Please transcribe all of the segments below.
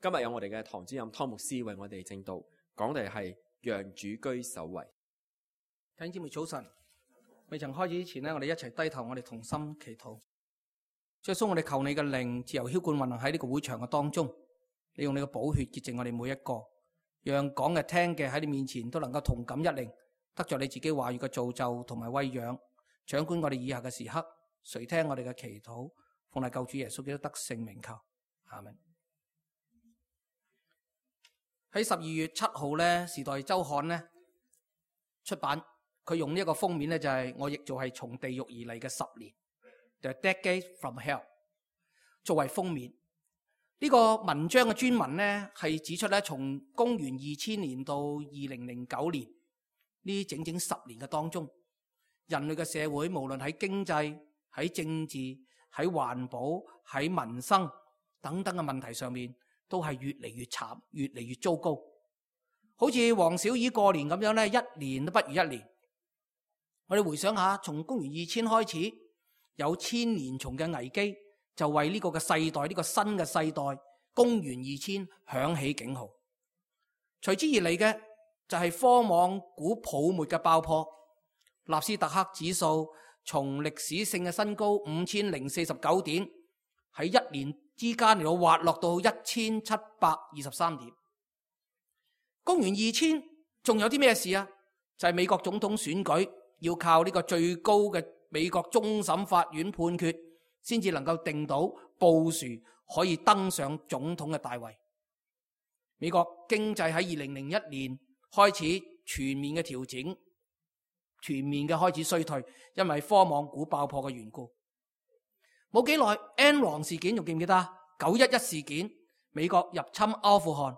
今日有我哋嘅堂主任湯牧師為我哋證道，講嘅係讓主居首位。弟兄姊妹早晨，未曾開始之前呢，我哋一齊低頭，我哋同心祈禱。主耶穌，我哋求你嘅靈自由澆灌運行喺呢個會場嘅當中，你用你嘅寶血潔淨我哋每一個，讓講嘅聽嘅喺你面前都能夠同感一靈，得着你自己話語嘅造就同埋餵養，掌管我哋以下嘅時刻，垂聽我哋嘅祈禱，奉賴救主耶穌基督得勝名求，阿們。喺12月7號咧，《時代週刊》咧出版，佢用呢一個封面咧就係我譯做係從地獄而嚟嘅10年 The Decade from Hell 作為封面。呢個文章嘅專文咧係指出咧，從公元2000年到2009年呢整整10年嘅當中，人類嘅社會無論喺經濟、喺政治、喺環保、喺民生等等嘅問題上面，都係越嚟越慘，越嚟越糟糕。好似黃小姨過年咁樣咧，一年都不如一年。我哋回想下，從公元2000開始，有千年蟲嘅危機，就為呢個嘅世代，呢個新嘅世代，公元2000響起警號。隨之而嚟嘅就係科網股泡沫嘅爆破，納斯達克指數從歷史性嘅新高5049點，喺一年之間嚟到滑落到1723點。公元2000仲有啲咩事啊？就係美國總統選舉要靠呢個最高嘅美國終審法院判決，先至能夠定到布殊可以登上總統嘅大位。美國經濟喺2001年開始全面嘅調整，全面嘅開始衰退，因為科網股爆破嘅緣故。冇幾耐 Enron 事件仲記唔記得？911事件，美國入侵阿富汗。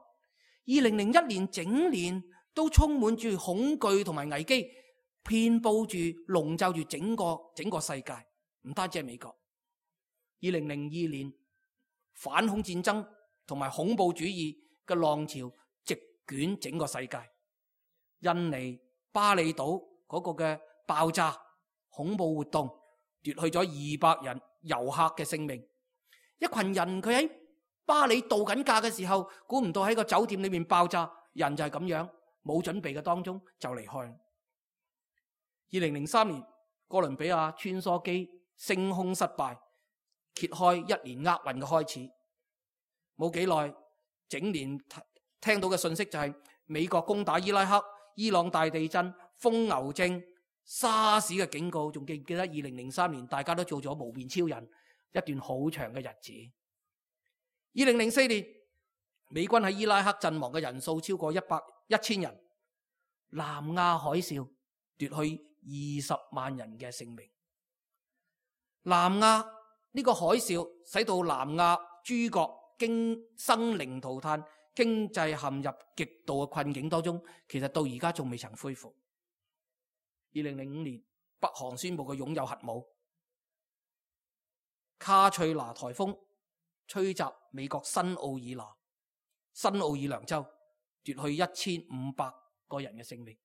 2001年整年都充滿住恐懼同埋危機，遍佈住籠罩住整個世界，唔單止係美國。2002年反恐戰爭同埋恐怖主義嘅浪潮席捲整個世界。印尼巴厘島嗰個嘅爆炸恐怖活動奪去咗200人遊客嘅性命。一群人佢喺巴厘度緊假嘅時候，估唔到喺個酒店裏面爆炸，人就係咁樣冇準備嘅當中就離開。2003年哥倫比亞穿梭機升空失敗，揭開一年厄運嘅開始。冇幾耐，整年聽到嘅信息就係美國攻打伊拉克、伊朗大地震、瘋牛症、沙士嘅警告。仲記唔記得2003年大家都做咗無面超人一段好長嘅日子。2004年美軍喺伊拉克陣亡嘅人數超過1000人。南亞海嘯奪去20萬人嘅性命。南亞呢個海嘯使到南亞諸國生靈塗炭，經濟陷入極度嘅困境當中，其實到而家仲未曾恢復。2005年北韓宣布佢擁有核武。卡翠娜颱風吹襲美國新奧爾良州，奪去1500個人嘅性命。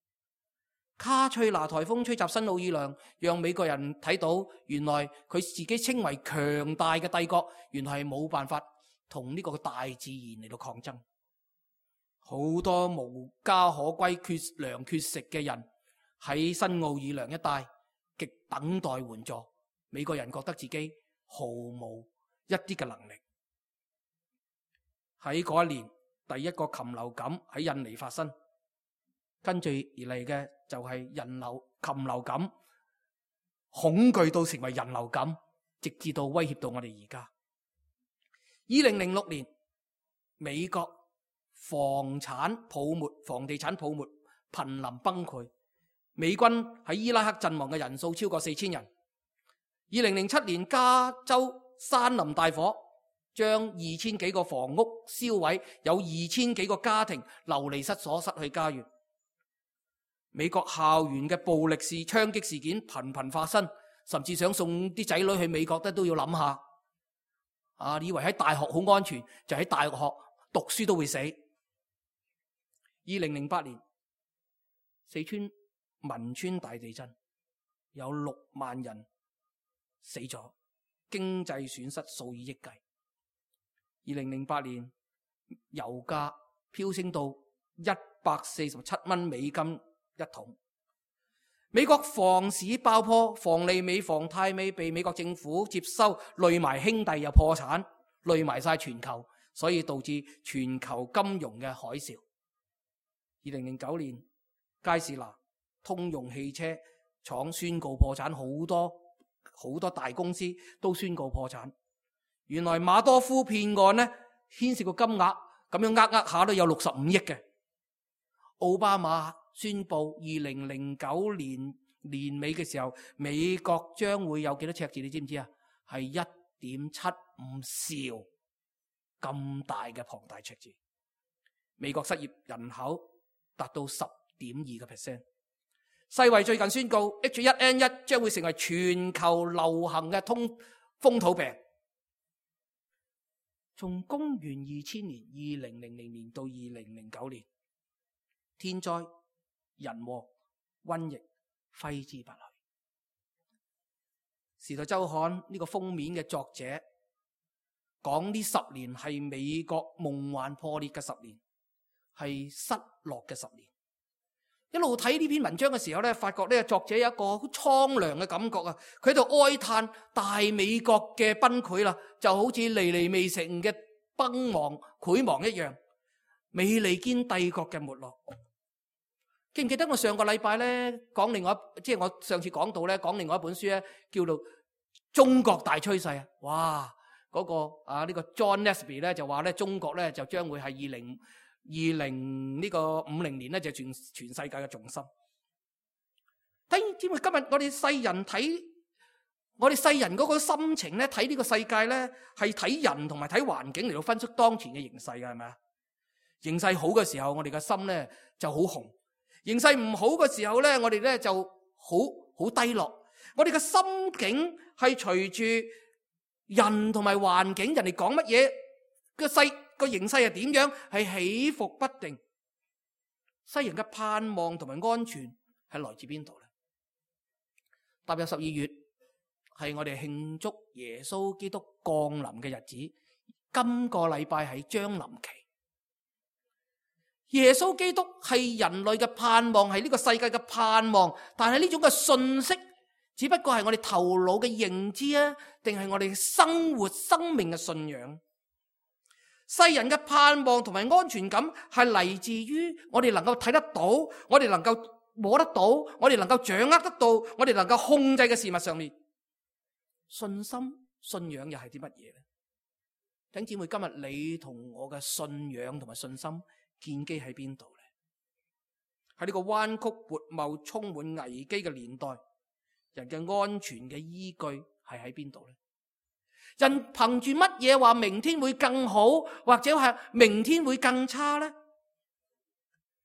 卡翠娜颱風吹襲新奧爾良，讓美國人睇到原來佢自己稱為強大嘅帝國，原來係冇辦法同呢個大自然嚟到抗爭。好多無家可歸、缺糧缺食嘅人喺新奧爾良一帶極等待援助。美國人覺得自己毫無一啲嘅能力。喺嗰一年，第一個禽流感喺印尼發生，跟住而嚟嘅就係禽流感，恐懼到成為人流感，直至到威脅到我哋而家。2006年，美國房地產泡沫瀕臨崩潰，美軍喺伊拉克陣亡嘅人數超過4000人。2007年，加州山林大火將2000幾個房屋燒毀，有2000幾個家庭流離失所，失去家園。美國校園嘅暴力槍擊事件頻頻發生，甚至想送啲仔女去美國都要諗下。以為喺大學好安全，就喺大學讀書都會死。2008年，四川汶川大地震，有6萬人死咗，經濟損失數以億計。2008年油價飆升到$147一桶。美國房市爆破，房利美、房太美被美國政府接收，累埋兄弟又破產，累埋晒全球，所以導致全球金融嘅海嘯。2009年，佳士拿、通用汽車廠宣告破產，好多大公司都宣告破產。原來馬多夫騙案呢，牽涉個金額咁樣呃下都有65億嘅。奧巴馬宣布2009年年尾嘅時候，美國將會有幾多赤字？你知唔知啊？係1.75兆咁大嘅龐大赤字。美國失業人口達到10.2%。世衛最近宣告 H1N1 將會成為全球流行嘅風土病。從公元2000年、2000年到2009年，天災、人禍、瘟疫揮之不去。時代周刊呢個封面嘅作者講呢10年係美國夢幻破裂嘅10年，係失落嘅10年。一路睇呢篇文章嘅時候咧，發覺呢個作者有一個好蒼涼嘅感覺啊！佢喺度哀嘆大美國嘅崩潰啦，就好似尼尼微城嘅崩亡潰亡一樣，美利堅帝國嘅沒落。記唔記得我上個禮拜咧講另外即係我上次講到咧講另外一本書咧，叫做《中國大趨勢》啊！哇，嗰個呢個 John Nesby 咧就話咧中國咧就將會係2050年咧就全世界嘅重心。知唔知今日我哋世人睇我哋世人嗰個心情咧，睇呢個世界咧係睇人同埋睇環境嚟到分析當前嘅形勢嘅，係咪啊？形勢好嘅時候，我哋嘅心咧就好紅；形勢唔好嘅時候咧，我哋咧就好低落。我哋嘅心境係隨住人同埋環境，人哋講乜嘢個形勢係點樣，係起伏不定。世人嘅盼望同埋安全係來自邊度咧？踏入12月，係我哋慶祝耶穌基督降臨嘅日子。今個禮拜係將臨期。耶穌基督係人類嘅盼望，係呢個世界嘅盼望。但係呢種嘅信息，只不過係我哋頭腦嘅認知啊，定係我哋生活生命嘅信仰？世人嘅盼望同埋安全感係嚟自於我哋能夠睇得到，我哋能夠摸得到，我哋能夠掌握得到，我哋能夠控制嘅事物上面。信心、信仰又係啲乜嘢咧？弟兄姊妹，今日你同我嘅信仰同埋信心建基喺邊度咧？喺呢個彎曲悖謬、充滿危機嘅年代，人嘅安全嘅依據係喺邊度咧？人憑住乜嘢話明天會更好，或者係明天會更差呢？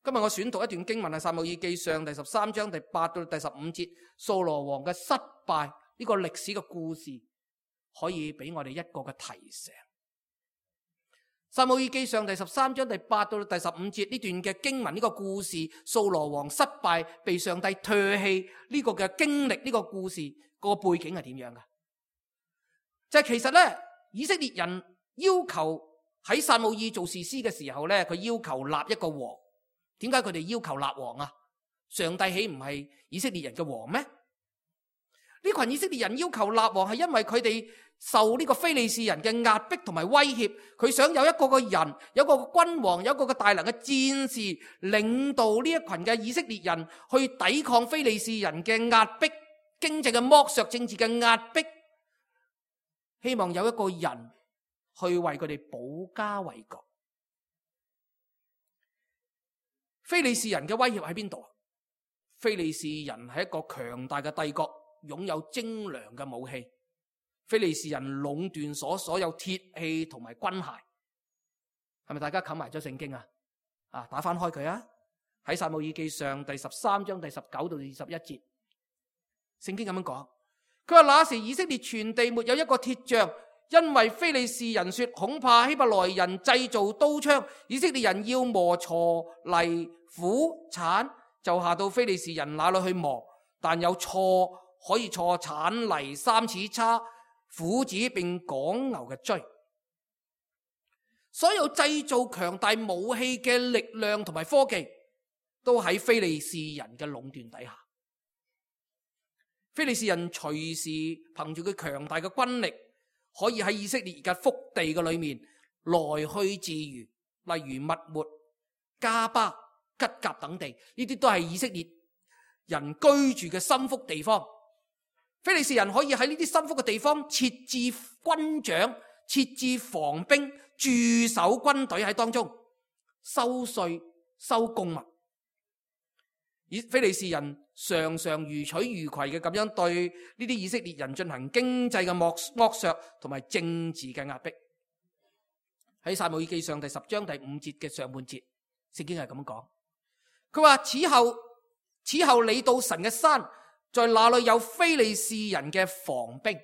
今日我選讀一段經文係撒母耳記上第13章第8到第15節，掃羅王嘅失敗呢個歷史嘅故事，可以俾我哋一個嘅提醒。撒母耳記上第13章第8到第15節呢段嘅經文，呢個故事，掃羅王失敗被上帝唾棄呢個嘅經歷，呢個故事個背景係點樣噶？就係其實咧，以色列人要求喺撒母耳做士師嘅時候咧，佢要求立一個王。點解佢哋要求立王啊？上帝豈唔係以色列人嘅王咩？呢群以色列人要求立王係因為佢哋受呢個非利士人嘅壓迫同埋威脅，佢想有一個人，有一個君王，有一個大能嘅戰士領導呢一群嘅以色列人去抵抗非利士人嘅壓迫、經濟嘅剝削、政治嘅壓迫。希望有一個人去為佢哋保家衛國。非利士人嘅威脅喺邊度？非利士人係一個強大嘅帝國，擁有精良嘅武器。非利士人壟斷所有鐵器同埋軍械。係咪大家冚埋咗聖經啊？打翻開佢啊！喺撒母耳記上第13章第19到21節，聖經咁樣講。佢話那時以色列全地沒有一個鐵匠，因為非利士人說恐怕希伯來人製造刀槍，以色列人要磨鋤泥斧鏟，就下到非利士人那裏去磨。但有銼可以銼鏟泥、3齒叉、斧子並趕牛嘅騅。所有製造強大武器嘅力量同埋科技，都喺非利士人嘅壟斷底下。非利士人隨時憑住佢強大嘅軍力，可以喺以色列嘅腹地嘅裏面來去自如，例如密抹、加巴、吉甲等地，呢啲都係以色列人居住嘅心腹地方。非利士人可以喺呢啲心腹嘅地方設置軍長、設置防兵、駐守軍隊喺當中，收稅、收貢物。非利士人常常如取如攜嘅咁樣對呢啲以色列人進行經濟嘅剝削同埋政治嘅壓迫。喺撒母耳記上第10章第5節嘅上半節，聖經係咁講，佢話此後你到神嘅山，在那裏有非利士人嘅防兵。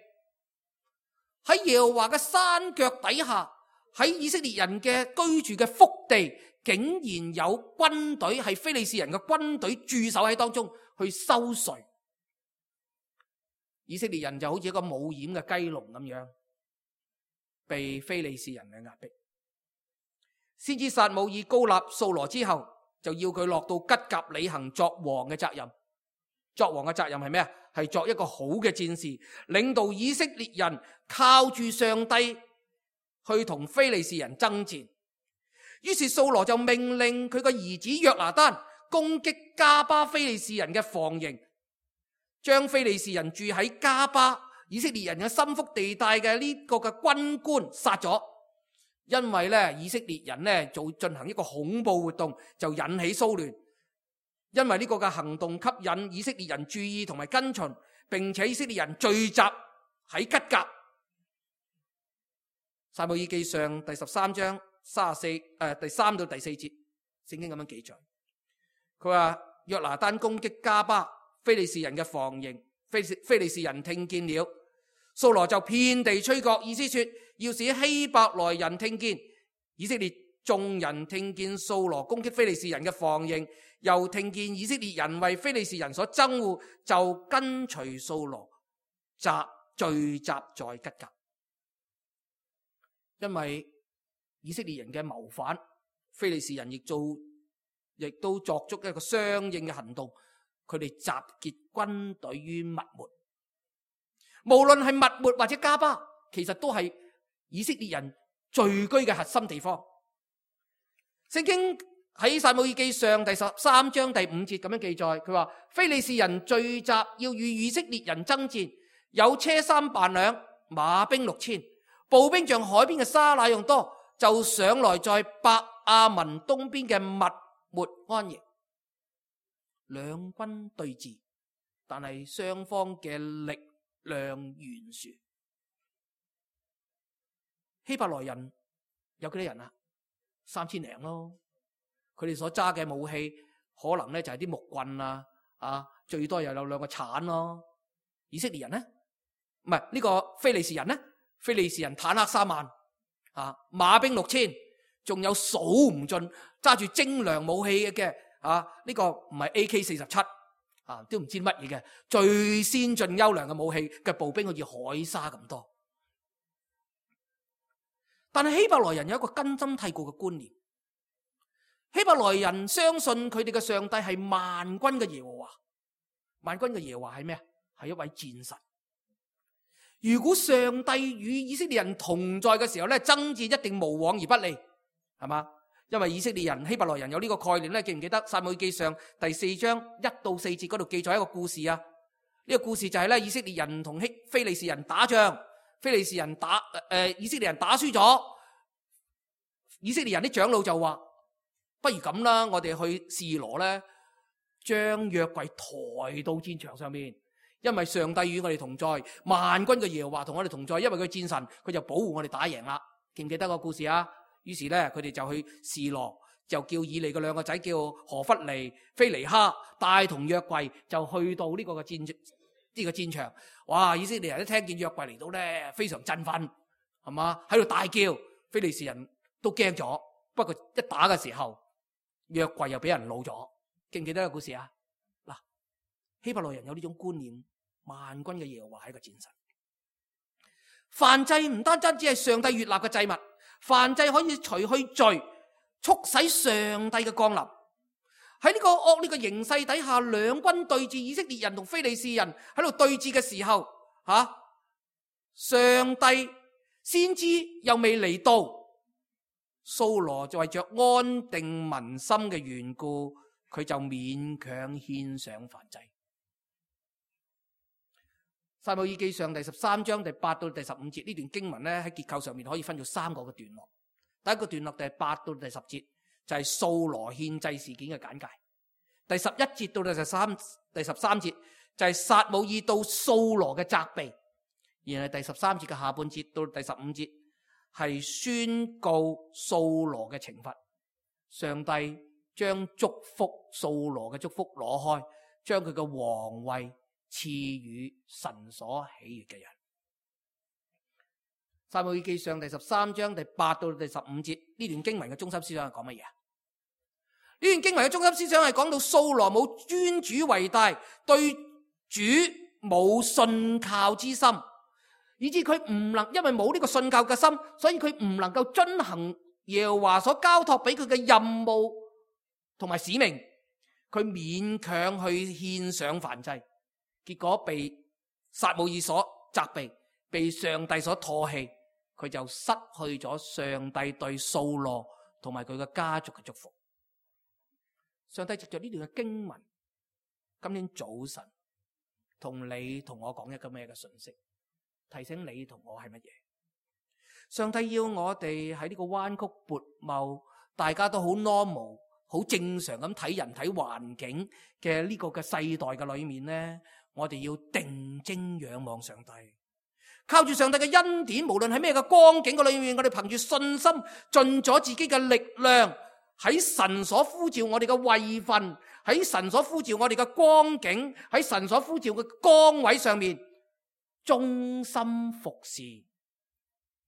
喺耶和華嘅山腳底下，喺以色列人嘅居住嘅腹地，竟然有軍隊，係非利士人嘅軍隊駐守喺當中去收稅。以色列人就好似一個冇掩嘅雞籠咁樣，被非利士人嘅壓迫。先知撒母耳膏立掃羅之後，就要佢落到吉甲履行作王嘅責任。作王嘅責任係咩啊？係作一個好嘅戰士，領導以色列人靠住上帝去同非利士人爭戰。於是掃羅就命令佢個兒子約拿單攻擊加巴非利士人嘅防營，將非利士人住喺加巴以色列人嘅心腹地帶嘅呢個嘅軍官殺咗。因為咧以色列人咧就進行一個恐怖活動，就引起騷亂。因為呢個嘅行動吸引以色列人注意同埋跟隨，並且以色列人聚集喺吉甲。撒母耳記上第13章第3到第4節，聖經咁樣記載。佢話約拿單攻擊加巴非利士人嘅防營，非利士人聽見了，掃羅就遍地吹角，意思說要使希伯來人聽見。以色列眾人聽見掃羅攻擊非利士人嘅防營，又聽見以色列人為非利士人所憎惡，就跟隨掃羅聚集在吉甲。因為以色列人嘅謀反，非利士人亦都作出一個相應嘅行動，佢哋集結軍隊於密抹。無論係密抹或者加巴，其實都係以色列人聚居嘅核心地方。聖經喺撒母耳記上第13章第5節咁樣記載，佢話非利士人聚集要與以色列人爭戰，有車300輛，馬兵6000，步兵像海邊嘅沙那樣多，就上來在伯亞文東邊嘅密抹安營。兩軍對峙，但係雙方嘅力量懸殊。希伯來人有幾多人啊？3000零咯。佢哋所揸嘅武器可能咧就係啲木棍啊，最多又有2個鏟咯。以色列人呢？唔係呢個非利士人呢？非利士人坦克3萬，馬兵6000，仲有數唔盡揸住精良武器嘅，呢個唔係 AK47，都唔知乜嘢嘅最先進優良嘅武器嘅步兵，好似海沙咁多。但係希伯來人有一個根深蒂固嘅觀念，希伯來人相信佢哋嘅上帝係萬軍嘅耶和華。萬軍嘅耶和華係咩啊？係一位戰神。如果上帝與以色列人同在嘅時候咧，爭戰一定無往而不利，係嘛？因為以色列人、希伯來人有呢個概念咧，記唔記得撒母耳記上第4章1到4節嗰度記載一個故事啊？呢個故事就係咧，以色列人同非利士人打仗，以色列人打輸咗，以色列人啲長老就話：不如咁啦，我哋去示羅咧，將約櫃抬到戰場上面。因為上帝與我哋同在，萬軍嘅耶和華同我哋同在，因為佢戰神，佢就保護我哋打贏啦。記唔記得個故事啊？於是咧，佢哋就去示羅，就叫以利嘅2個仔叫何弗尼、菲尼哈，帶同約櫃就去到呢個戰場。哇！以色列人一聽見約櫃嚟到咧，非常振奮，係嘛？喺度大叫，非利士人都驚咗。不過一打嘅時候，約櫃又俾人擄咗。記唔記得個故事啊？嗱，希伯來人有呢種觀念。萬軍嘅耶和華係一個戰神，燔祭唔單單只係上帝悅納嘅祭物，燔祭可以除去罪，促使上帝嘅降臨。喺呢個惡劣嘅形勢底下，兩軍對峙，以色列人同非利士人喺度對峙嘅時候，上帝先知又未嚟到，掃羅就為着安定民心嘅緣故，佢就勉強獻上燔祭。撒母耳記上第13章第8到第15節呢段經文咧，喺結構上面可以分做3個嘅段落。第一個段落第8到第10節就係掃羅獻祭事件嘅簡介。第11節到第13節就係撒母耳到掃羅嘅責備。然後第13節嘅下半節到第15節係宣告掃羅嘅懲罰。上帝將祝福掃羅嘅祝福攞開，將佢嘅皇位賜予神所喜悅嘅人。撒母耳記上第13章第8到第15節呢段經文嘅中心思想係講乜嘢？呢段經文嘅中心思想係講到掃羅冇尊主為大，對主冇信靠之心，以致佢唔能，因為冇呢個信靠嘅心，所以佢唔能夠遵行耶和華所交託俾佢嘅任務同埋使命，佢勉強去獻上燔祭。結果被撒母耳所責備，被上帝所唾棄，佢就失去咗上帝對掃羅同埋佢嘅家族嘅祝福。上帝藉着呢段嘅經文，今天早晨同你同我講一個咩嘅信息，提醒你同我係乜嘢？上帝要我哋喺呢個彎曲悖謬，大家都好 normal、好正常咁睇人睇環境嘅呢個嘅世代嘅裏面呢，我哋要定睛仰望上帝，靠住上帝嘅恩典，無論喺咩嘅光景嘅裏面，我哋憑住信心盡咗自己嘅力量，喺神所呼召我哋嘅位份，喺神所呼召我哋嘅光景，喺神所呼召嘅崗位上面，忠心服侍，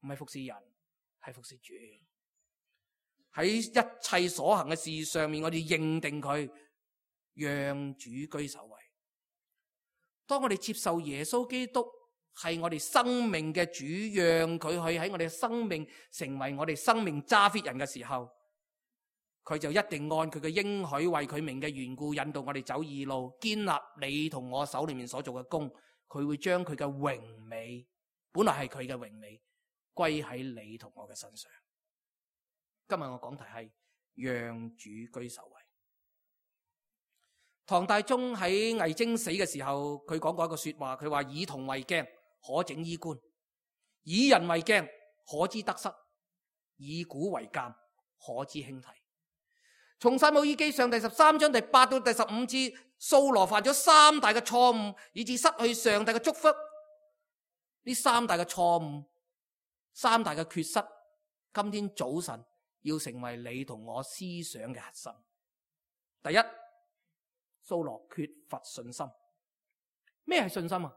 唔係服侍人，係服侍主。喺一切所行嘅事上面，我哋認定佢，讓主居首位。當我哋接受耶穌基督係我哋生命嘅主，讓佢去喺我哋嘅生命成為我哋生命揸 fit 人嘅時候，佢就一定按佢嘅應許，為佢名嘅緣故，引導我哋走義路，建立你同我手裏面所做嘅工。佢會將佢嘅榮美，本來係佢嘅榮美，歸喺你同我嘅身上。今日我講題係讓主居首位。唐大宗喺魏徵死嘅時候，佢講過一個說話，佢話：以銅為鏡，可整衣冠；以人為鏡，可知得失；以古為鑑，可知興替。從撒母耳記上第13章第8到第15節，掃羅犯咗3大嘅錯誤，以致失去上帝嘅祝福。呢3大嘅錯誤，3大嘅缺失，今天早晨要成為你同我思想嘅核心。第一，掃羅缺乏信心。咩係信心啊？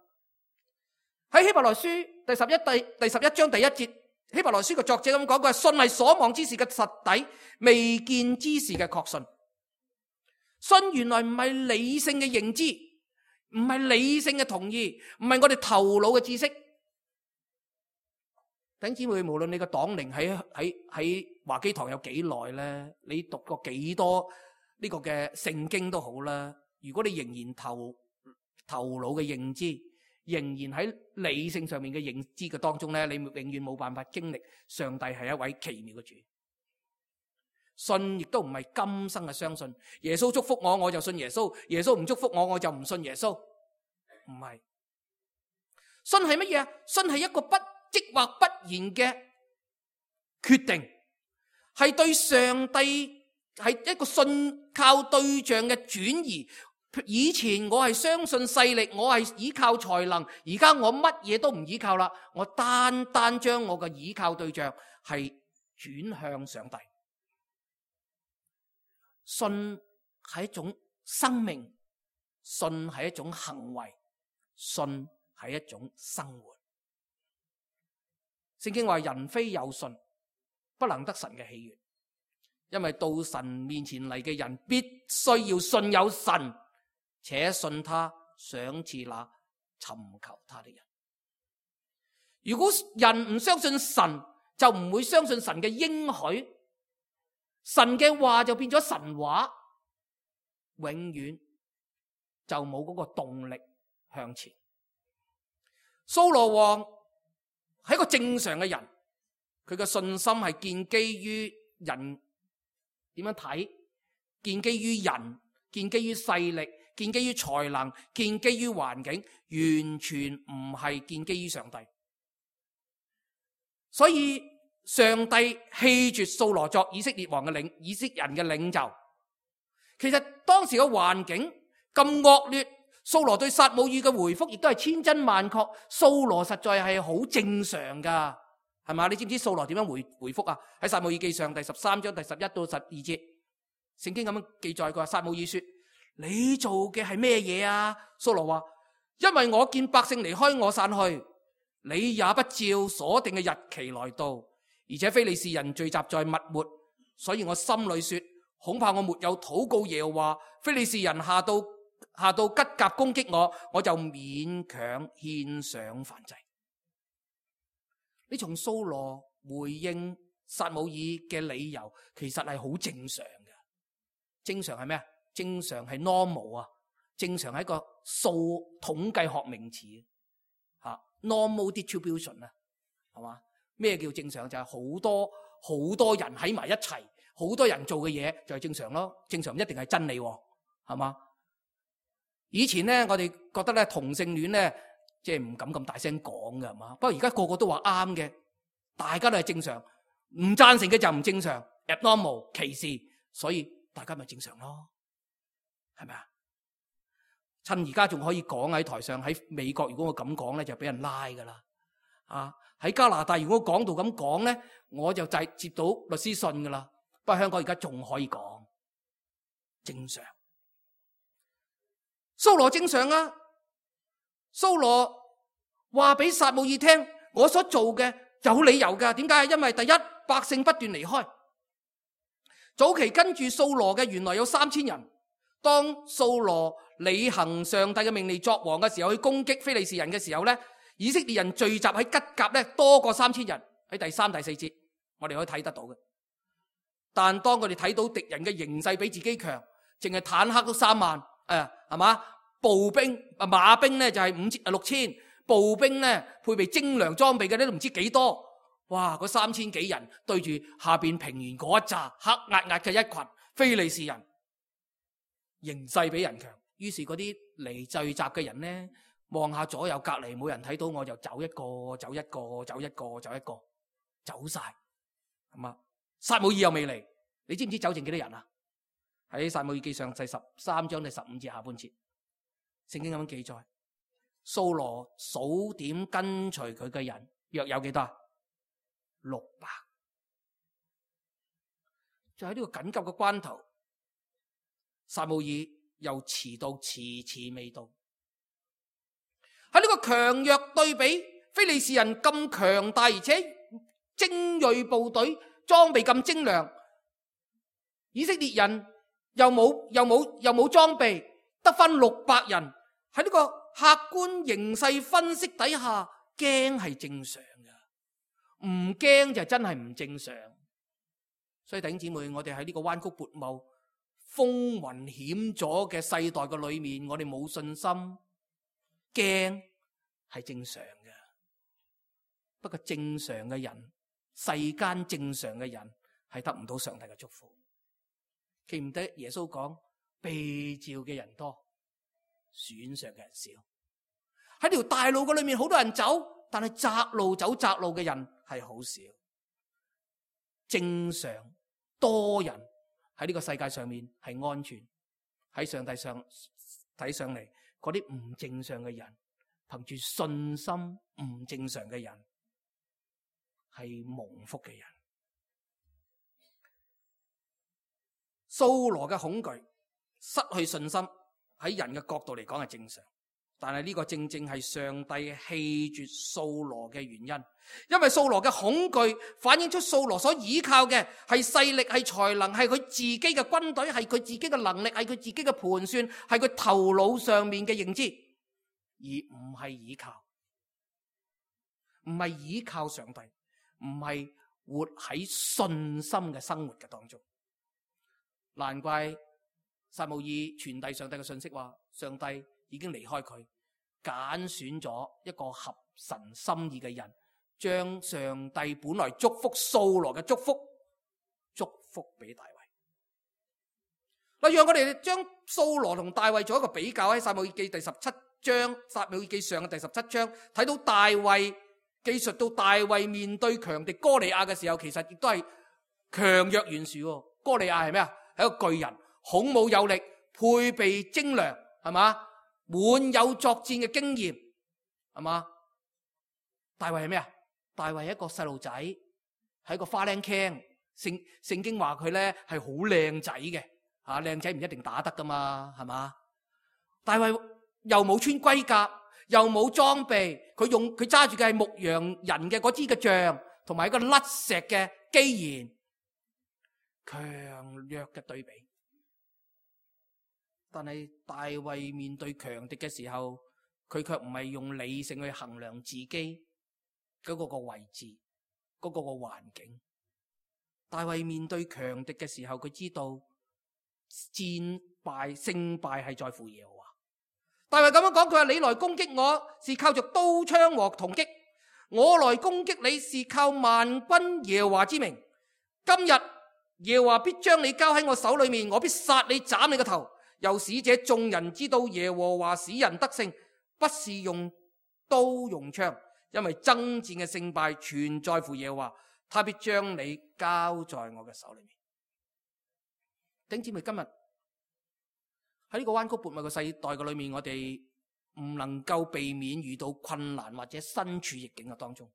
喺希伯來書第11章第1節，希伯來書嘅作者咁講，佢話信係所望之事嘅實底，未見之事嘅確信。信原來唔係理性嘅認知，唔係理性嘅同意，唔係我哋頭腦嘅知識。弟兄姊妹，無論你個黨齡喺華基堂有幾耐咧，你讀過幾多呢個嘅聖經都好啦，如果你仍然頭腦嘅認知，仍然喺理性上面嘅認知嘅當中咧，你永遠冇辦法經歷上帝係一位奇妙嘅主。信亦都唔係今生嘅相信，耶穌祝福我，我就信耶穌；耶穌唔祝福我，我就唔信耶穌。唔係，信係乜嘢啊？信係一個不即或不然嘅決定，係對上帝係一個信靠對象嘅轉移。以前我係相信勢力，我係依靠才能，而家我乜嘢都唔依靠啦，我單單將我嘅依靠對象係轉向上帝。信係一種生命，信係一種行為，信係一種生活。聖經話人非有信，不能得神嘅喜悅，因為到神面前嚟嘅人必須要信有神，且信他賞賜那尋求他的人。如果人唔相信神，就唔會相信神嘅應許，神嘅話就變咗神話，永遠就冇嗰個動力向前。掃羅王係一個正常嘅人，佢嘅信心係建基於人點樣睇，建基於人，建基於勢力，建基於才能，建基於環境，完全唔係建基於上帝。所以上帝棄絕掃羅作以色列人嘅領袖。其實當時嘅環境咁惡劣，掃羅對撒母耳嘅回覆亦都係千真萬確。掃羅實在係好正常噶，係嘛？你知唔知掃羅點樣回覆啊？喺撒母耳記上第13章第11到12節，聖經咁樣記載，佢話撒母耳說：你做嘅係咩嘢啊？掃羅話：因為我見百姓離開我散去，你也不照所定嘅日期來到，而且非利士人聚集在密抹，所以我心裏說，恐怕我沒有禱告耶和華，非利士人下到吉甲攻擊我，我就勉強獻上燔祭。你從掃羅回應撒母耳嘅理由，其實係好正常嘅。正常係咩啊？正常係 normal 啊，正常係一個數統計學名詞啊 ，normal distribution 啊，係嘛？咩叫正常？就係好多人喺埋一齊，好多人做嘅嘢就係正常咯。正常唔一定係真理，係嘛？以前咧，我哋覺得咧同性戀咧，即係唔敢咁大聲講嘅，係嘛？不過而家個個都話啱嘅，大家都係正常，唔贊成嘅就唔正常 ，abnormal 歧視，所以大家咪正常咯，係咪啊？趁而家仲可以講喺台上，喺美國如果我咁講咧，就俾人拉噶啦。啊，喺加拿大如果講到咁講咧，我就接到律師信噶啦。不過香港而家仲可以講，正常。掃羅正常啊，掃羅話俾撒母耳聽，我所做嘅有理由噶。點解？因為第一，百姓不斷離開。早期跟住掃羅嘅原來有3000人。當掃羅履行上帝嘅命令作王嘅時候，去攻擊非利士人嘅時候咧，以色列人聚集喺吉甲咧多過3000人。喺第3、第4節我哋可以睇得到嘅。但當佢哋睇到敵人嘅形勢比自己強，淨係坦克都3萬，係嘛？步兵馬兵咧就係6000，步兵咧配備精良裝備嘅咧都唔知幾多。哇！嗰3000幾人對住下邊平原嗰一紮黑壓壓嘅一群非利士人，形勢比人強。於是嗰啲嚟聚集嘅人咧，望下左右隔離冇人睇到，我就走一個走一個走一個走一個走晒，係嘛？撒母耳又未嚟，你知唔知走剩幾多人啊？喺撒母耳記上第13章第15節下半節，聖經咁樣記載，掃羅數點跟隨佢嘅人約有幾多？600。就喺呢個緊急嘅關頭，撒母耳又遲到，遲未到。喺呢個強弱對比，非利士人咁強大，而且精銳部隊，裝備咁精良，以色列人又冇裝備，得返600人。喺呢個客觀形勢分析底下，驚係正常嘅，唔驚就真係唔正常。所以弟兄姊妹，我哋喺呢個彎曲悖謬、風雲險阻嘅世代嘅裏面，我哋冇信心，驚係正常嘅。不過正常嘅人，世間正常嘅人係得唔到上帝嘅祝福。記唔得耶穌講，被召嘅人多，選上嘅人少。喺條大路嘅裏面好多人走，但係窄路走窄路嘅人係好少。正常多人喺呢個世界上面係安全，喺上帝上睇上嚟，嗰啲唔正常嘅人，憑住信心唔正常嘅人係蒙福嘅人。掃羅嘅恐懼、失去信心，喺人嘅角度嚟講係正常，但係呢個正正係上帝棄絕掃羅嘅原因。因為掃羅嘅恐懼反映出掃羅所依靠嘅係勢力、係才能、係佢自己嘅軍隊、係佢自己嘅能力、係佢自己嘅盤算、係佢頭腦上面嘅認知，而唔係依靠上帝，唔係活喺信心嘅生活嘅當中。難怪撒母耳傳遞上帝嘅信息話，上帝已經離開佢，揀選咗一個合神心意嘅人，將上帝本來祝福掃羅嘅祝福俾大衛。嗱，讓我哋將掃羅同大衛做一個比較，喺撒母耳記第17章，撒母耳記上嘅第17章，睇到大衛記述到大衛面對強敵哥利亞嘅時候，其實亦都係強弱懸殊。哥利亞係咩啊？係一個巨人，孔武有力，配備精良，係嘛？滿有作戰嘅經驗，係嘛？大衛係咩啊？大衛係一個細路仔，係一個花靚傾。聖經話佢咧係好靚仔嘅，吓，靚仔唔一定打得噶嘛，係嘛？大衛又冇穿盔甲，又冇裝備，佢揸住嘅係牧羊人嘅嗰支嘅杖，同埋一個甩石嘅機弦，強弱嘅對比。但係大衛面對強敵嘅時候，佢卻唔係用理性去衡量自己嗰個位置，嗰個環境。大衛面對強敵嘅時候，佢知道勝敗係在乎耶和華。大衛咁樣講，佢話：你來攻擊我是靠着刀槍和銅戟，我來攻擊你是靠萬軍耶和華之名。今日耶和華必將你交喺我手裏面，我必殺你，斬你個頭。又使這眾人知道耶和華使人得勝，不是用刀用槍，因為爭戰嘅勝敗全在乎耶和華，他必將你交在我嘅手裏面。弟兄姊妹，今日喺呢個彎曲悖謬嘅世代嘅裏面，我哋唔能夠避免遇到困難或者身處逆境嘅當中。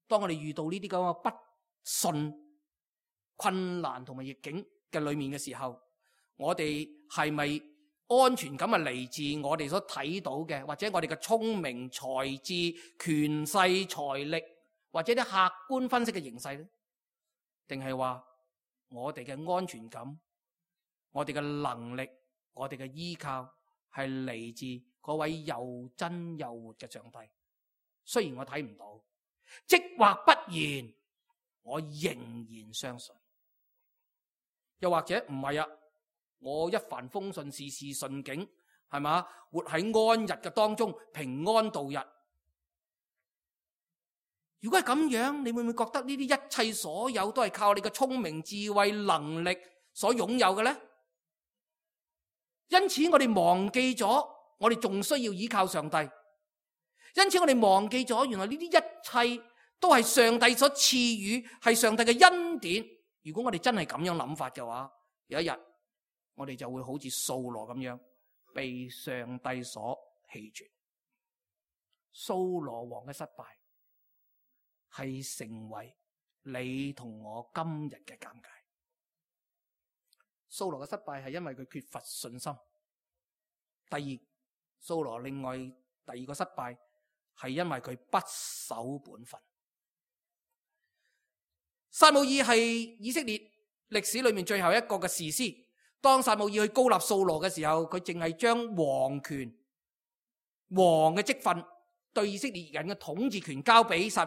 當我哋遇到呢啲咁嘅不順、困難同埋逆境嘅裏面嘅時候，我哋係咪安全感係嚟自我哋所睇到嘅，或者我哋嘅聰明才智、權勢財力，或者啲客觀分析嘅形勢呢？定係話我哋嘅安全感、我哋嘅能力、我哋嘅依靠係嚟自嗰位又真又活嘅上帝？雖然我睇唔到，即或不然，我仍然相信。又或者唔係啊，我一帆風順，事事順境，係嘛？活喺安逸嘅當中，平安度日。如果係咁樣，你會唔會覺得呢啲一切所有都係靠你嘅聰明智慧能力所擁有嘅呢？因此我哋忘記咗，我哋仲需要依靠上帝。因此我哋忘記咗，原來呢啲一切都係上帝所賜予，係上帝嘅恩典。如果我哋真係咁樣諗法嘅話，有一日我哋就會好似掃羅咁樣被上帝所棄絕。掃羅王嘅失敗係成為你同我今日嘅尷尬。掃羅嘅失敗係因為佢缺乏信心。第二，掃羅另外第二個失敗係因為佢不守本分。撒母耳係以色列歷史裏面最後一個嘅士師。當撒母耳去膏立掃羅嘅時候，佢淨係將王權、王嘅職分對以色列人嘅統治權交俾掃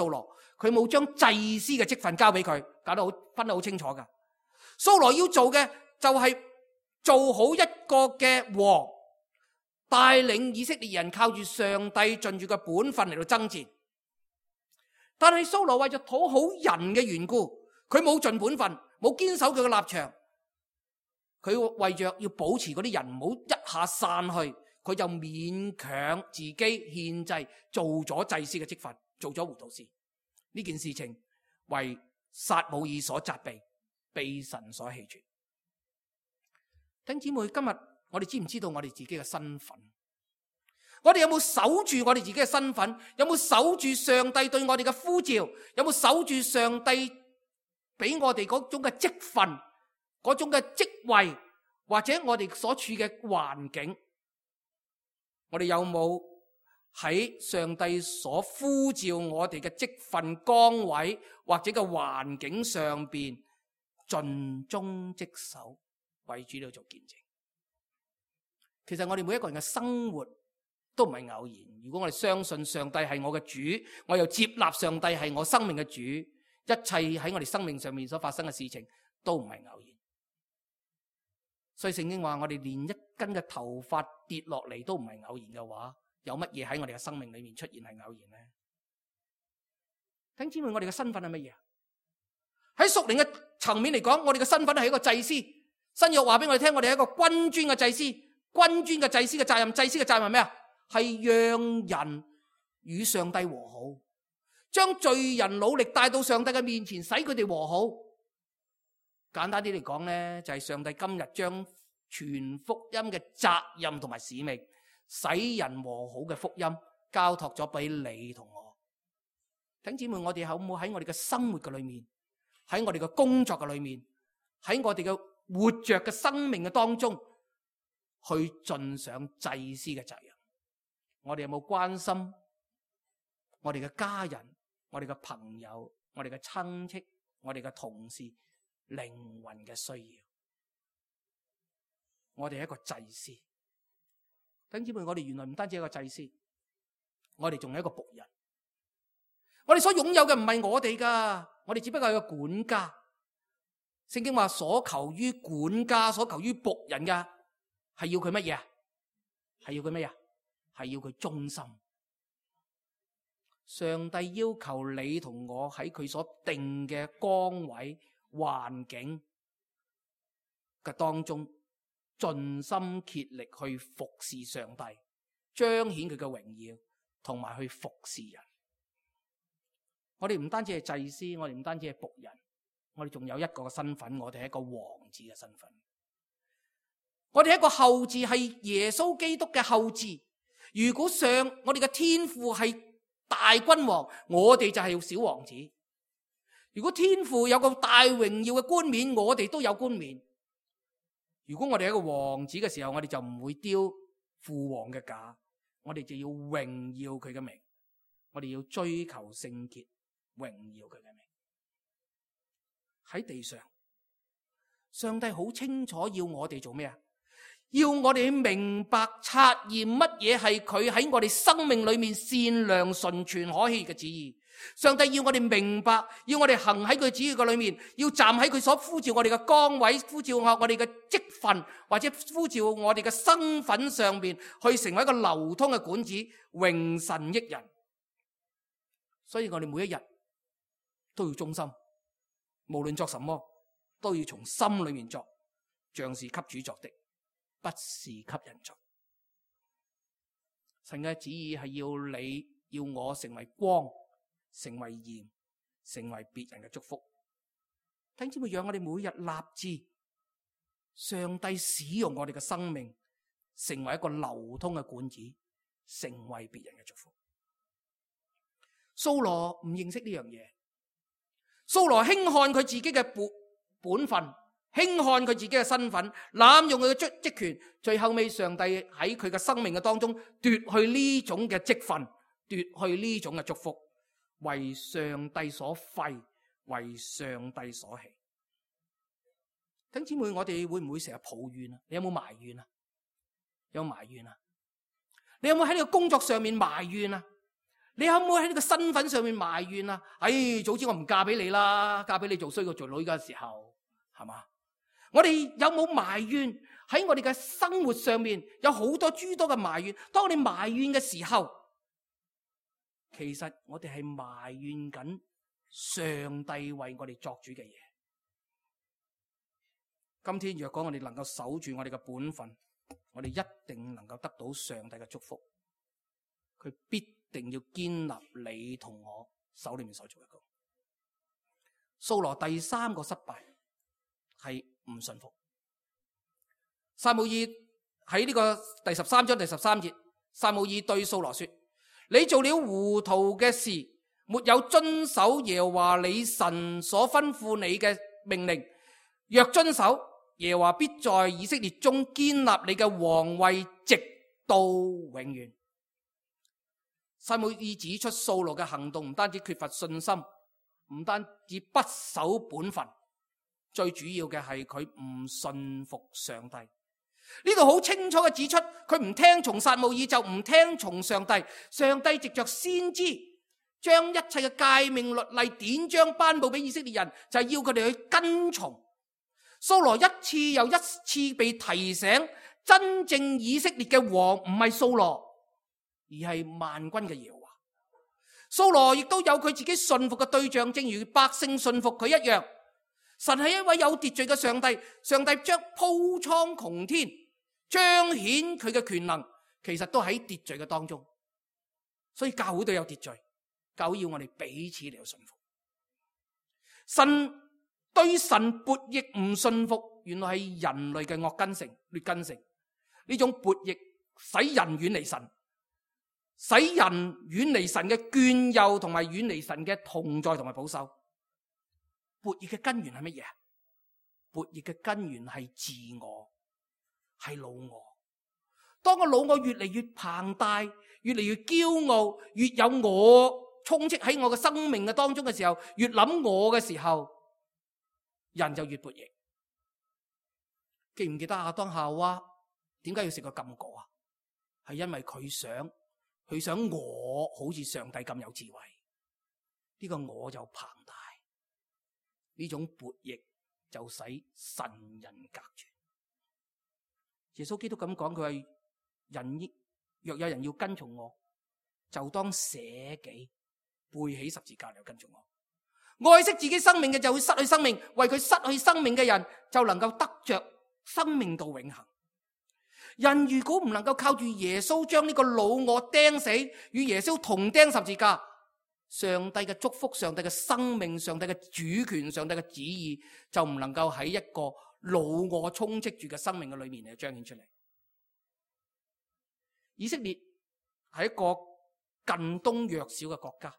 羅，佢冇將祭司嘅職分交俾佢，搞得好分得好清楚噶。掃羅要做嘅就係做好一個嘅王，帶領以色列人靠住上帝盡住嘅本分嚟到爭戰。但係掃羅為咗討好人嘅緣故，佢冇盡本分，冇堅守佢嘅立場。佢為着要保持嗰啲人唔好一下散去，佢就勉強自己獻祭，做咗祭司嘅職分，做咗糊塗事。呢件事情為撒母耳所責備，被神所棄絕。弟兄姊妹，今日我哋知唔知道我哋自己嘅身份？我哋有冇守住我哋自己嘅身份？有冇守住上帝對我哋嘅呼召？有冇守住上帝俾我哋嗰種嘅職分、嗰種嘅職位，或者我哋所處嘅環境？我哋有冇喺上帝所呼召我哋嘅職分崗位或者嘅環境上邊盡忠職守，為主嚟做見證？其實我哋每一個人嘅生活都唔係偶然。如果我哋相信上帝係我嘅主，我又接納上帝係我生命嘅主，一切喺我哋生命上面所發生嘅事情都唔係偶然。所以聖經話，我哋連一根嘅頭髮跌落嚟都唔係偶然嘅話，有乜嘢喺我哋嘅生命裏面出現係偶然呢？弟兄姊妹，我哋嘅身份係乜嘢？喺屬靈嘅層面嚟講，我哋嘅身份係一個祭司。新約話俾我哋聽，我哋係一個君尊嘅祭司。君尊嘅祭司嘅責任，祭司嘅責任係咩啊？係讓人與上帝和好，將罪人努力帶到上帝嘅面前，使佢哋和好。簡單啲嚟講呢，就係上帝今日將傳福音嘅責任同埋使命，使人和好嘅福音交託咗俾你同我。弟兄姊妹，我哋可唔可以喺我哋嘅生活嘅裏面，喺我哋嘅工作嘅裏面，喺我哋嘅活着嘅生命嘅當中，去盡上祭司嘅責任？我哋有冇關心我哋嘅家人、我哋嘅朋友、我哋嘅親戚、我哋嘅同事靈魂嘅需要？我哋係一個祭司。弟兄姊妹，我哋原來唔單止係一個祭司，我哋仲係一個僕人。我哋所擁有嘅唔係我哋噶，我哋只不過係個管家。聖經話，所求於管家、所求於僕人嘅係要佢乜嘢啊？係要佢乜嘢啊？係要佢忠心。上帝要求你同我喺佢所定嘅崗位、環境嘅當中，盡心竭力去服侍上帝，彰顯佢嘅榮耀，同埋去服侍人。我哋唔單止係祭司，我哋唔單止係僕人，我哋仲有一個身份，我哋係一個王子嘅身份。我哋係一個後嗣，係耶穌基督嘅後嗣。如果我哋嘅天父係大君王，我哋就係小王子。如果天父有個大榮耀嘅冠冕，我哋都有冠冕。如果我哋係一個王子嘅時候，我哋就唔會丟父王嘅架，我哋就要榮耀佢嘅名，我哋要追求聖潔，榮耀佢嘅名。喺地上，上帝好清楚要我哋做咩啊？要我哋明白察驗乜嘢係佢喺我哋生命裏面善良、純全、可喜嘅旨意。上帝要我哋明白，要我哋行喺佢旨意嘅裏面，要站喺佢所呼召我哋嘅崗位，呼召我哋嘅職份，或者呼召我哋嘅身份上面，去成為一個流通嘅管子，榮神益人。所以我哋每一日都要忠心，無論作什麼都要從心裏面作，像是給主作的，不是給人作。神嘅旨意係要你要我成為光，成為鹽，成為別人嘅祝福。聽知咪讓我哋每日立志，上帝使用我哋嘅生命，成為一個流通嘅管子，成為別人嘅祝福。掃羅唔認識呢樣嘢，掃羅輕看佢自己嘅本分，輕看佢自己嘅身份，濫用佢嘅職權，最後尾上帝喺佢嘅生命嘅當中奪去呢種嘅職分，奪去呢種嘅祝福，為上帝所廢，為上帝所棄。弟兄姊妹，我哋會唔會成日抱怨啊？你有冇埋怨啊？有埋怨啊？你有冇喺呢個工作上面埋怨啊？你可唔可以喺呢個身份上面埋怨啊？早知我唔嫁俾你啦，嫁俾你做衰過做女嘅時候，係嘛？我哋有冇埋怨？喺我哋嘅生活上面有好多諸多嘅埋怨。當我哋埋怨嘅時候，其實我哋係埋怨緊上帝為我哋作主嘅嘢。今天若果我哋能夠守住我哋嘅本分，我哋一定能夠得到上帝嘅祝福。佢必定要堅立你同我手裏面所做嘅工。掃羅第三個失敗係唔信服。撒母耳喺呢個第13章第13節，撒母耳對掃羅說：你做了糊塗嘅事，沒有遵守耶和華你神所吩咐你嘅命令。若遵守，耶和華必在以色列中堅立你嘅王位，直到永遠。撒母耳指出掃羅嘅行動唔單止缺乏信心，唔單止不守本分，最主要嘅係佢唔信服上帝。呢度好清楚嘅指出，佢唔聽從撒母耳就唔聽從上帝。上帝藉着先知將一切嘅誡命律例典章頒布俾以色列人，就係要佢哋去跟從。掃羅一次又一次被提醒，真正以色列嘅王唔係掃羅，而係萬軍嘅耶和華。掃羅亦都有佢自己信服嘅對象，正如百姓信服佢一樣。神係一位有秩序嘅上帝，上帝將鋪蒼穹天，彰顯佢嘅權能，其實都喺秩序嘅當中。所以教會都有秩序，教會要我哋彼此嚟到信服。神對神悖逆唔信服，原來係人類嘅惡根性、劣根性。呢種悖逆使人遠離神，使人遠離神嘅眷佑，同埋遠離神嘅同在同埋保守。悖逆嘅根源係乜嘢？悖逆嘅根源係自我，係老我。當個老我越嚟越龐大，越嚟越驕傲，越有我充斥喺我嘅生命嘅當中嘅時候，越諗我嘅時候，人就越悖逆。記唔記得亞當夏娃點解要食個禁果啊？係因為佢想我好似上帝咁有智慧，呢個我就龐大。呢種悖逆就使神人隔絕。耶穌基督咁講，佢話若有人要跟從我，就當捨己，背起十字架嚟跟從我。愛惜自己生命嘅就會失去生命，為佢失去生命嘅人就能夠得着生命到永恆。人如果唔能夠靠住耶穌將呢個老我釘死，與耶穌同釘十字架，上帝嘅祝福、上帝嘅生命、上帝嘅主權、上帝嘅旨意就唔能夠喺一個老我充斥住嘅生命嘅裏面嚟彰顯出嚟。以色列係一個近東弱小嘅國家，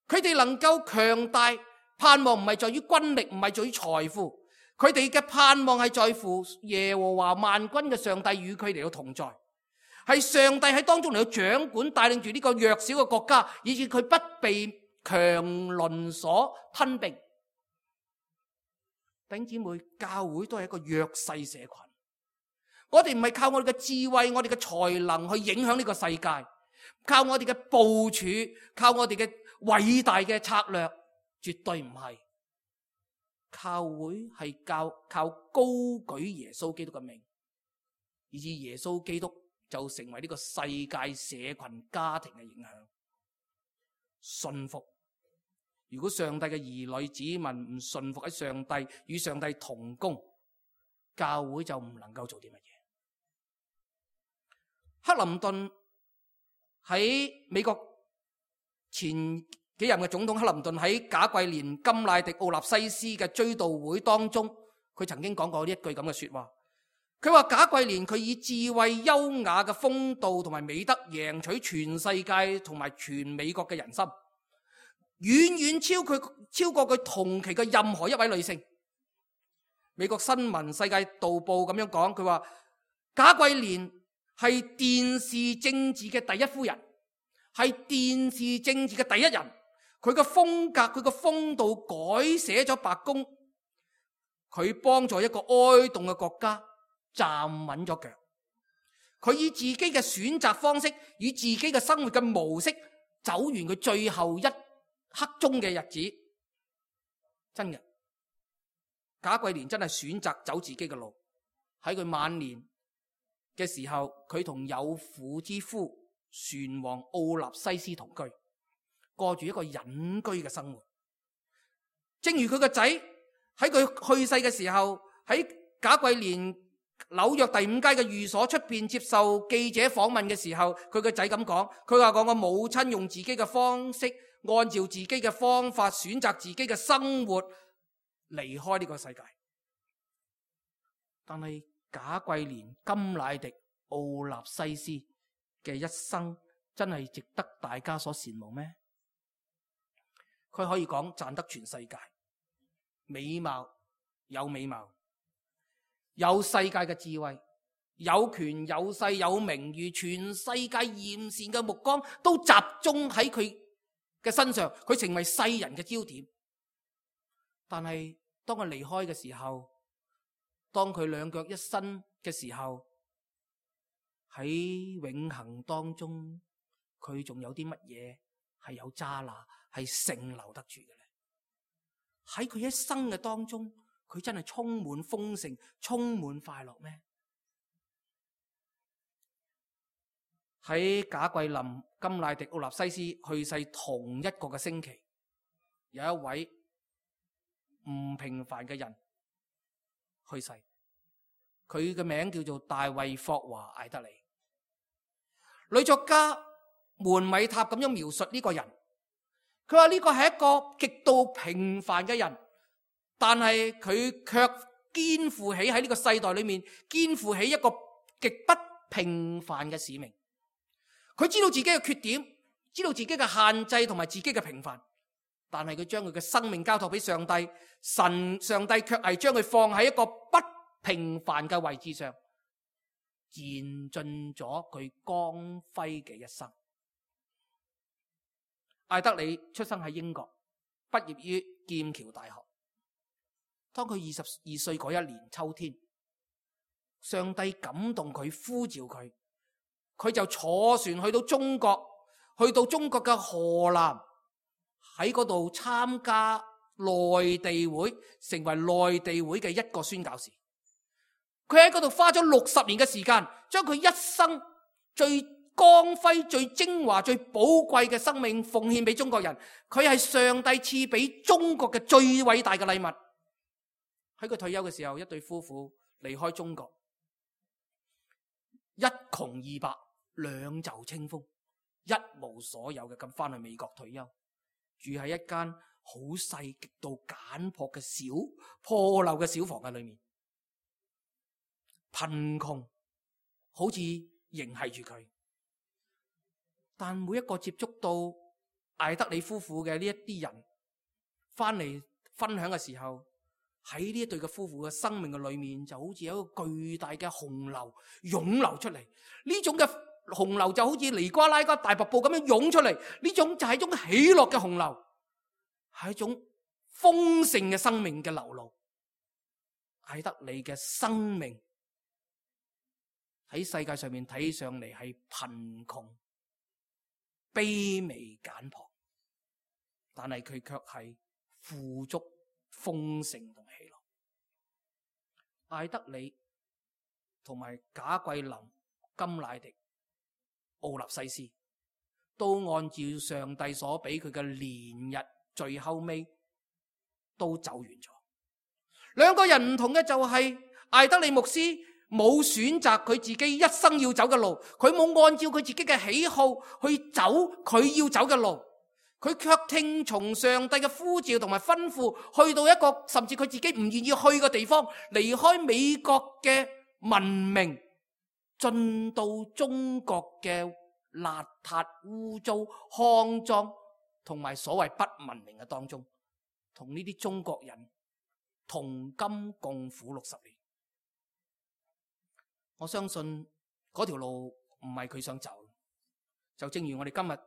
佢哋能夠強大，盼望唔係在於軍力，唔係在於財富，佢哋嘅盼望係在乎耶和華萬軍嘅上帝與佢哋嘅同在。係上帝喺當中嚟到掌管，帶領住呢個弱小嘅國家，以致佢不被強鄰所吞併。弟兄姊妹，教會都係一個弱勢社群。我哋唔係靠我哋嘅智慧、我哋嘅才能去影響呢個世界，靠我哋嘅部署，靠我哋嘅偉大嘅策略，絕對唔係。教會係靠高舉耶穌基督嘅名，以致耶穌基督就成為呢個世界社群家庭嘅影響。信服，如果上帝嘅兒女子民唔信服喺上帝，與上帝同工，教會就唔能夠做啲乜嘢。克林頓喺美國前幾任嘅總統克林頓喺賈桂蓮甘迺迪奧納西斯嘅追悼會當中，佢曾經講過呢一句咁嘅說話。佢話賈桂蓮佢以智慧優雅嘅風度同埋美德贏取全世界同埋全美國嘅人心，遠遠超過佢同期嘅任何一位女性。美國新聞世界導報咁樣講，佢話賈桂蓮係電視政治嘅第一夫人，係電視政治嘅第一人。佢嘅風格，佢嘅風度改寫咗白宮，佢幫助一個哀慟嘅國家站穩咗腳。佢以自己嘅選擇方式，以自己嘅生活嘅模式，走完佢最後一刻鐘嘅日子。真嘅，賈桂蓮真係選擇走自己嘅路。喺佢晚年嘅時候，佢同有婦之夫船王奧納西斯同居，過住一個隱居嘅生活。正如佢個仔喺佢去世嘅時候，喺賈桂蓮紐約第5街嘅寓所出邊接受記者訪問嘅時候，佢個仔咁講，佢話我母親用自己嘅方式，按照自己嘅方法選擇自己嘅生活，離開呢個世界。但係賈桂蓮甘迺迪奧納西斯嘅一生真係值得大家所羨慕咩？佢可以講賺得全世界，美貌有美貌，有世界嘅智慧，有權有勢有名譽，全世界艷羨嘅目光都集中喺佢嘅身上，佢成為世人嘅焦點。但係當佢離開嘅時候，當佢兩腳一伸嘅時候，喺永恆當中，佢仲有啲乜嘢係有渣拿係剩留得住嘅咧？喺佢一生嘅當中，佢真係充滿豐盛、充滿快樂咩？喺賈桂林、甘迺迪、奧納西斯去世同一個嘅星期，有一位唔平凡嘅人去世，佢嘅名叫做大衛霍華艾德里。女作家門米塔咁樣描述呢個人，佢話呢個係一個極度平凡嘅人，但係佢卻肩負起喺呢個世代裏面肩負起一個極不平凡嘅使命。佢知道自己嘅缺點，知道自己嘅限制同埋自己嘅平凡，但係佢將佢嘅生命交託俾上帝，上帝卻係將佢放喺一個不平凡嘅位置上，燃盡咗佢光輝嘅一生。艾德里出生喺英國，畢業於劍橋大學。當佢22歲嗰一年秋天，上帝感動佢，呼召佢，佢就坐船去到中國，嘅河南，喺嗰度參加內地會，成為內地會嘅一個宣教士。佢喺嗰度花咗60年嘅時間，將佢一生最光輝、最精華、最寶貴嘅生命奉獻俾中國人。佢係上帝賜俾中國嘅最偉大嘅禮物。喺佢退休嘅時候，一對夫婦離開中國，一窮二白，兩袖清風，一無所有嘅咁翻去美國退休，住喺一間好細、極度簡樸嘅小破舊嘅小房嘅裏面，貧窮好似迎繫住佢。但每一個接觸到艾德里夫婦嘅呢一啲人翻嚟分享嘅時候，喺呢一對嘅夫婦嘅生命嘅裏面，就好似有一個巨大嘅洪流湧流出嚟。呢種嘅洪流就好似尼瓜拉加大瀑布咁樣湧出嚟，呢種就係一種喜樂嘅洪流，係一種豐盛嘅生命嘅流露。艾德里嘅生命喺世界上面睇上嚟係貧窮、卑微、簡樸，但係佢卻係富足、豐盛同喜樂。艾德里同埋賈桂林、甘迺迪、奧納西斯都按照上帝所俾佢嘅年日，最後尾都走完咗。兩個人唔同嘅就係艾德里牧師冇選擇佢自己一生要走嘅路，佢冇按照佢自己嘅喜好去走佢要走嘅路，佢卻聽從上帝嘅呼召同埋吩咐，去到一個甚至佢自己唔願意去嘅地方，離開美國嘅文明，進到中國嘅邋遢、污糟、骯髒同埋所謂不文明嘅當中，同呢啲中國人同甘共苦60年。我相信嗰條路唔係佢想走，就正如我哋今日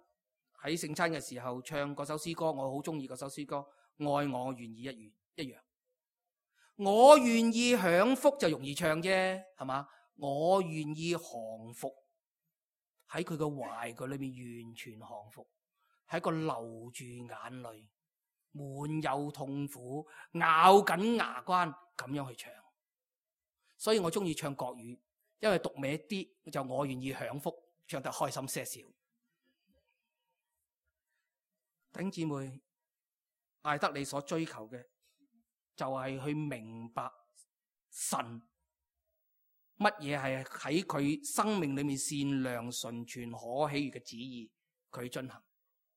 喺聖餐嘅時候唱嗰首詩歌，我好中意嗰首詩歌《愛我願意》一樣。我願意享福就容易唱啫，係嘛？我願意降服，喺佢嘅懷句裏面完全降服，喺個流住眼淚、滿有痛苦、咬緊牙關咁樣去唱。所以我中意唱國語，因為讀歪啲就我願意享福，唱得開心些少。弟兄姊妹，艾德里所追求嘅就係去明白神乜嘢係喺佢生命裏面善良、純全、可喜悅嘅旨意，佢進行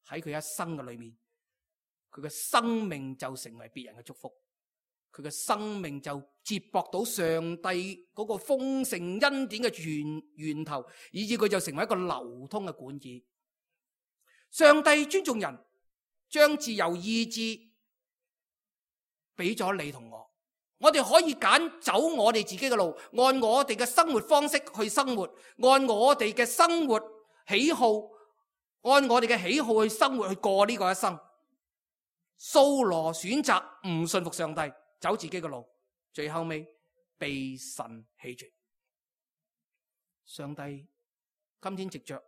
喺佢一生嘅裏面，佢嘅生命就成為別人嘅祝福，佢嘅生命就接駁到上帝嗰個豐盛恩典嘅源頭，以致佢就成為一個流通嘅管子。上帝尊重人，將自由意志俾咗你同我哋可以揀走我哋自己嘅路，按我哋嘅生活方式去生活，按我哋嘅生活喜好，按我哋嘅喜好去生活，去過呢個一生。掃羅選擇唔信服上帝，走自己嘅路，最後尾被神棄絕。上帝今天藉着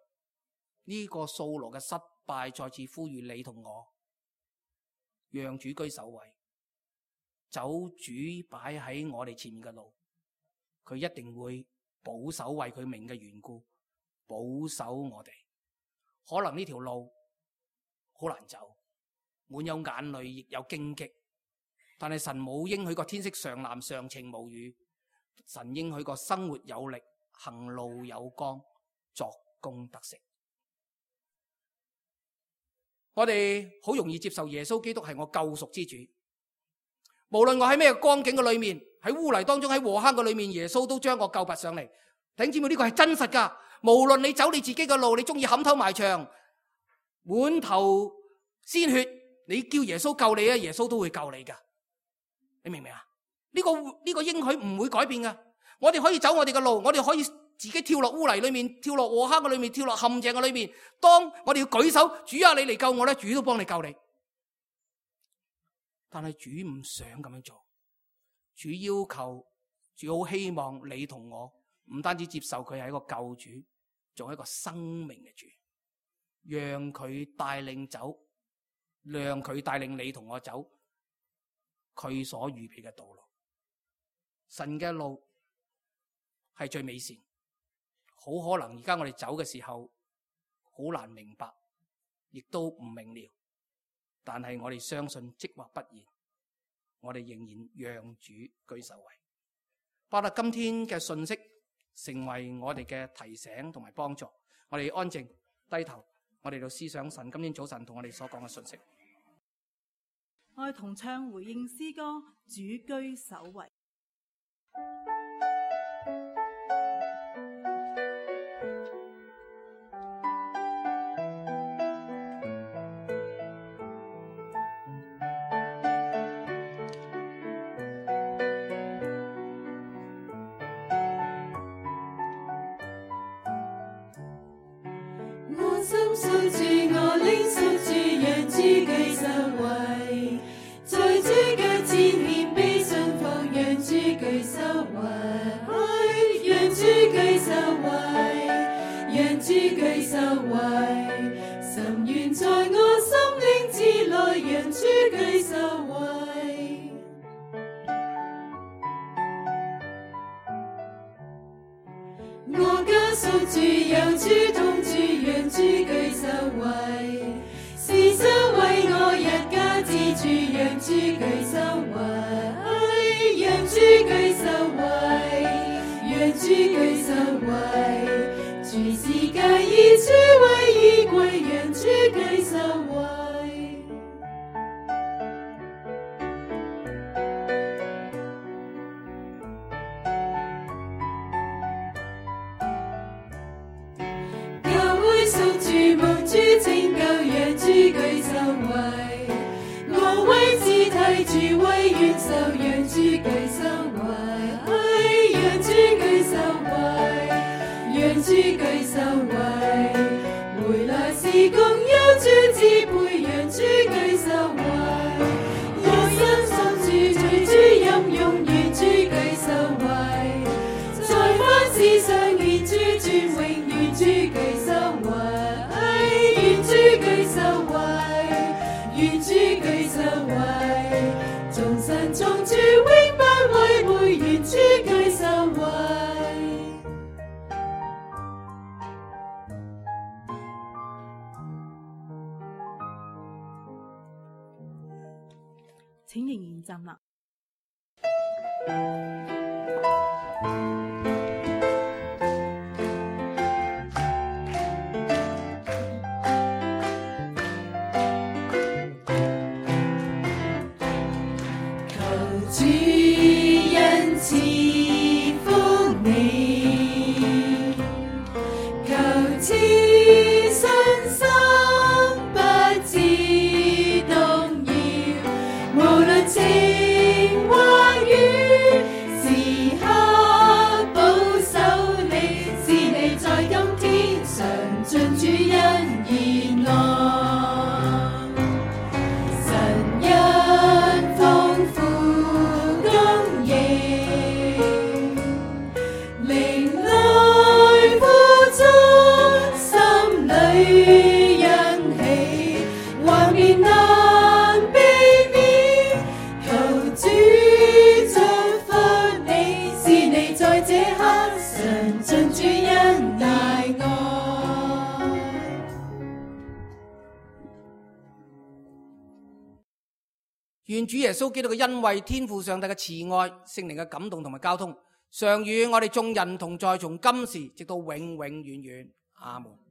呢個掃羅嘅失敗，再次呼籲你同我，讓主居首位，走主擺喺我哋前面嘅路，佢一定會保守為佢名嘅緣故，保守我哋。可能呢條路好難走，滿有眼淚，亦有荊棘，但係神冇應許過天色常藍常晴無雨，神應許過生活有力，行路有光，作工得成。我哋好容易接受耶穌基督係我救贖之主，無論我喺咩光景嘅裏面，喺污泥當中，喺禍坑嘅裏面，耶穌都將我救拔上嚟。弟兄姊妹，呢個係真實噶。無論你走你自己嘅路，你中意冚頭埋牆，滿頭鮮血，你叫耶穌救你啊，耶穌都會救你噶。你明唔明啊？呢個應許唔會改變噶。我哋可以走我哋嘅路，我哋可以自己跳落污泥裏面，跳落禍坑嘅裏面，跳落陷阱嘅裏面。當我哋要舉手，主啊，你嚟救我咧，主都幫你救你。但係主唔想咁樣做，主要求，主好希望你同我唔單止接受佢係一個救主，仲係一個生命嘅主，讓佢帶領走，讓佢帶領你同我走佢所預備嘅道路。神嘅路係最美善，好可能而家我哋走嘅時候好難明白，亦都唔明了，但係我哋相信即或不然，我哋仍然讓主居首位。巴得今天嘅信息成為我哋嘅提醒同埋幫助，我哋安靜低頭，我哋就思想神今天早晨同我哋所講嘅信息。我哋同唱回應詩歌《主居首位》。守住我領受住，讓主居首位，在主腳前獻悲信服，讓主居首位，讓主居首位，讓主居首位，神願在我心靈之內，讓主居首位。我家屬住有主同住，讓主居首位，是神為我一家之主，讓主居首位，讓主居首位，讓主居首位，主是介以主為依歸，讓主居首位。蒙主拯救，讓主居首位，我為肢體主為元首，讓主居首位，讓主居首位，讓主居首位，回來時共有主支配，讓主居首位，一生守住隨主任用，願主居首位，在凡事上願主尊榮，願主居首位。願主居首位，願主居首位，眾神眾主永不違背，願主居首位。請仍然站立。主恩賜福你，求賜信心不致動搖，無論晴或雨，願主耶穌基督嘅恩惠、天父上帝嘅慈愛、聖靈嘅感動同埋交通，常與我哋眾人同在，從今時直到永永遠遠。阿門。